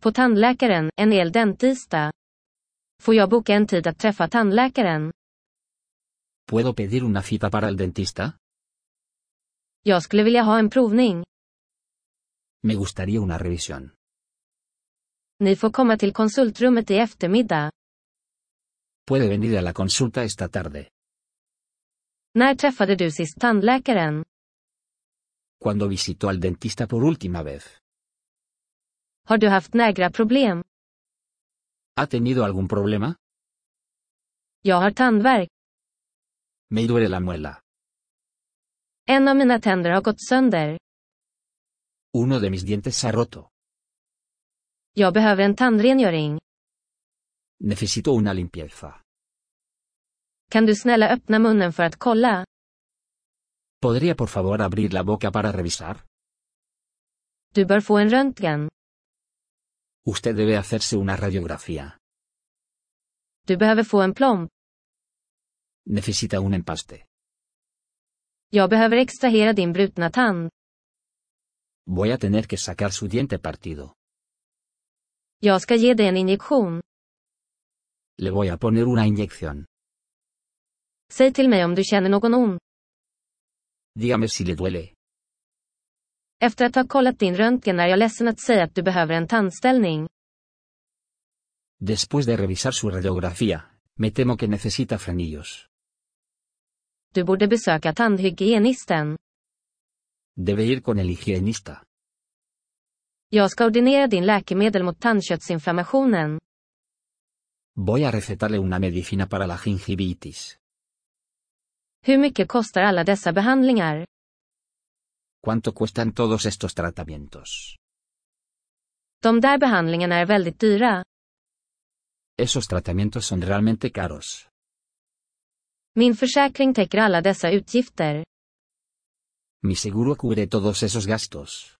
På tandläkaren, en hel dentista. Får jag boka en tid att träffa tandläkaren? ¿Puedo pedir una cita para el dentista? Jag skulle vilja ha en provning. Me gustaría una revisión. Ni får komma till konsultrummet i eftermiddag. ¿Puede venir a la consulta esta tarde? När träffade du sist tandläkaren? Cuando visitó al dentista por última vez. Har du haft några problem? ¿Ha tenido algún problema? Jag har tandvärk. Me duele la muela. En av mina tänder har gått sönder. Uno de mis dientes se ha roto. Jag behöver en tandrengöring. Necesito una limpieza. Kan du snälla öppna munnen för att kolla? ¿Podría por favor abrir la boca para revisar? Du bör få en röntgen. Usted debe hacerse una radiografía. Du behöver få en plomb. Necesita un empaste. Jag behöver extrahera din brutna tand. Voy a tener que sacar su diente partido. Jag ska ge dig en injektion. Le voy a poner una inyección. Säg till mig om du känner någon ont. Dígame si le duele. Efter att ha kollat din röntgen är jag ledsen att säga att du behöver en tandställning. Después de revisar su radiografía, me temo que necesita frenillos. Du borde besöka tandhygienisten. Debe ir con el higienista. Jag ska ordinera din läkemedel mot tandköttsinflammationen. Voy a recetarle una medicina para la gingivitis. Hur mycket kostar alla dessa behandlingar? ¿Cuánto cuestan todos estos tratamientos? De där behandlingarna är väldigt dyra. Esos tratamientos son realmente caros. Min försäkring täcker alla dessa utgifter. Mi seguro cubre todos esos gastos.